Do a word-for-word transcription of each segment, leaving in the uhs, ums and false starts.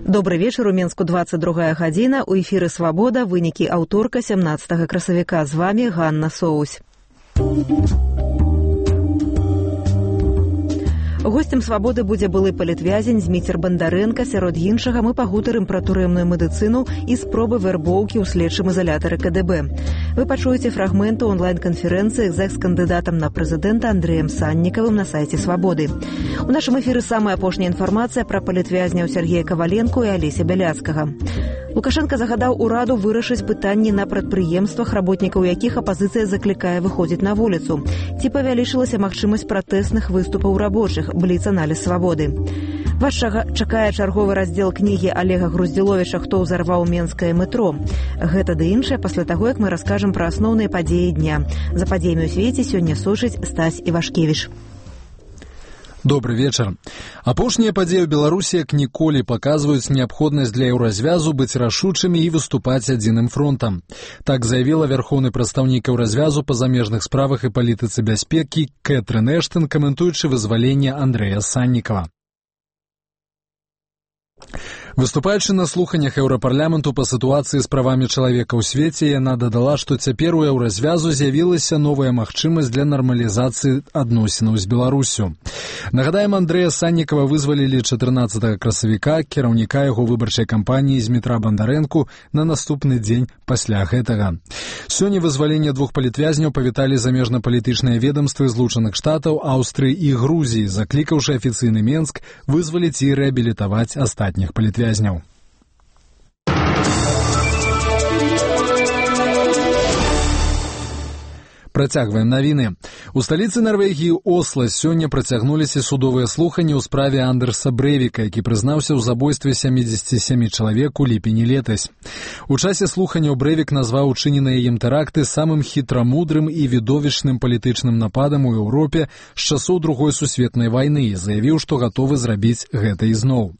Добрый вечер, у Менску двадцать другая гадзіна, у эфіры «Свабода», вынікі аўторка сямнаццатага красавіка. З вами Ганна Соусь. Гостем «Свабоды» будзе былы палітвязень Зміцер Бандарэнка. Сярод іншага мы пагутарым пра турэмную медыцыну і спробы вярбоўкі ў следчым изолятары ка дэ бэ. Вы пачуеце фрагменты онлайн-канферэнцыі з экс-кандыдатам на прэзідэнта Андрэем Саннікавым на сайце «Свабоды». У нашым эфіры самая апошняя інфармацыя пра палітвязняў Сергея Каваленко і Алеся Бяляцкага. Лукашенко загадаў ураду вырашыць пытанні на прадпрыемствах, работнікаў якіх апазіцыя заклікае выходзіць на вуліцу. Ці павялічылася магчымасць пратэсных выступаў рабочых, бліц-аналіз «Свабоды». Вас чакае чарговы раздзел кнігі Олега Груздзіловіча «Хто ўзарваў менскае метро». Гэта ды іншае пасля таго, як мы раскажам пра асноўныя падзеі дня. За падзеямі ў свеце сёння сочыць Стась Івашкевіч. Добрый вечер. Апошнія падзеі ў Беларусі як ніколі паказваюць неабходнасць для еўразвязу быць рашучымі і выступаць адзіным фронтам. Так заявіла вярхоўны прадстаўнік еўразвязу па замежных справах і палітыцы бяспекі Кэтрын Эштон, каментуючы вызваленне Андрэя Саннікава. Выступаючы на слуханнях Еўрапарламенту па сітуацыі з правамі чалавека ў свеце, яна дадала, што цяпер у еўразвязу з'явілася новая магчымасць для нармалізацыі адносінаў з Беларусю. Нагадаем, Андрэя Саннікава вызвалілі чатырнаццатага красавіка, кіраўніка яго выбарчай кампаніі Змітра Бандарэнку, на наступны дзень пасля гэтага. Сёння вызваленне двух палітвязняў павіталі замежна-палітычныя ведамствы Злучаных Штатаў, Аўстрыі і Грузіі, заклікаўшы афіцыйны Менск вызваліць і рэабілітаваць астатніх палітвязняў. Працягваем навіны. У сталіцы Нарвегіі Осла сёння працягнуліся судовыя слуханні ў справе Андерса Брэвіка, які прызнаўся ў забойстве сямідзесяці сямі чалавек у ліпені летась. У часе слуханняў Брэвік назваў учыненыя ім тэракты самым хітрамудрым і відовішчным палітычным нападам у Еўропе з часоў Другой сусветнай вайны і заявіў, што гатовы зрабіць гэта ізноў.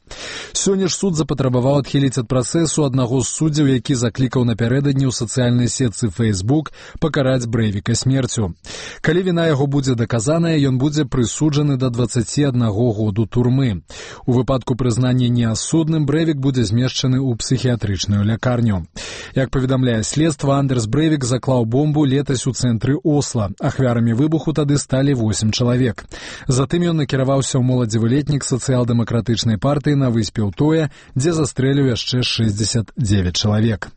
Сёння ж суд запатрабаваў адхіліць ад працэсу аднаго з суддзяў, які заклікаў напярэдадні ў сацыяльнай сетцы Facebook пакараць Брэвіка смерцю. Калі віна яго будзе даказаная, ён будзе прысуджаны да дваццаці аднаго году турмы. У выпадку прызнання неасудным Брэвік будзе змешчаны ў псіхіятрычную лякарню. Як паведамляе следства, Андерс Брэвік заклаў бомбу летась у цэнтры Осла. Ахвярамі выбуху тады сталі восем чалавек. Затым ён накіраваўся ў моладзевы летнік сацыял-дэмакратычнай партыі на выспе Утоя, дзе застрэліў яшчэ шэсцьдзесят девять чалавек.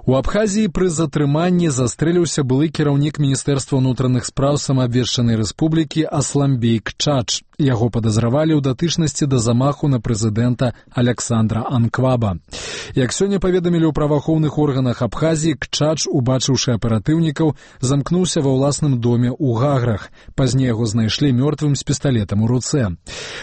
У Абхазіі пры затрыманні застрэліўся былы кіраўнік Міністэрства ўнутраных спраў самаабвешчанай рэспублікі Асламбей Кчач. Яго падазравалі ў датычнасці да замаху на прэзідэнта Аляксандра Анкваба. Як сёння паведамілі ў праваахоўных органах Абхазіі, Кчач, убачыўшы аператыўнікаў, замкнуўся ва ўласным доме ў Гаграх. Пазней яго знайшлі мёртвым з пісталетам у руцэ.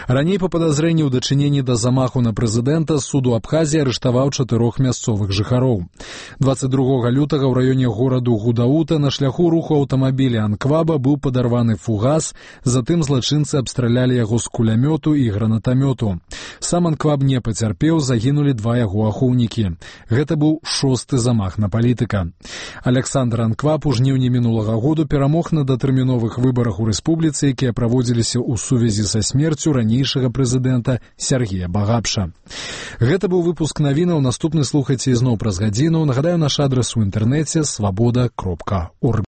Раней па падазрэнні ў дачыненні да замаху на прэзідэнта суд у Абхазіі арыштаваў чатырох мясцовых жыхароў. дваццаць другога лютага ў раёне гораду Гудаута на шляху руху аўтамабіля Анкваба быў падарваны фугас, затым злачынцы абстралялі яго з кулямёту і гранатамёту. Сам Анкваб не пацярпеў, загінулі два яго ахоўнікі. Гэта быў шосты замах на палітыка. Аляксандр Анкваб у жніўні мінулага году перамог на датэрміновых выбарах у рэспубліцы, якія праводзіліся ў сувязі са смерцю ранейшага прэзідэнта Сергея Багапша. Гэта быў выпуск навінаў, наступны слухайце ізноў праз гадзіну. Нагадаю, наш адрес у інтэрнэце свабода кропка орг.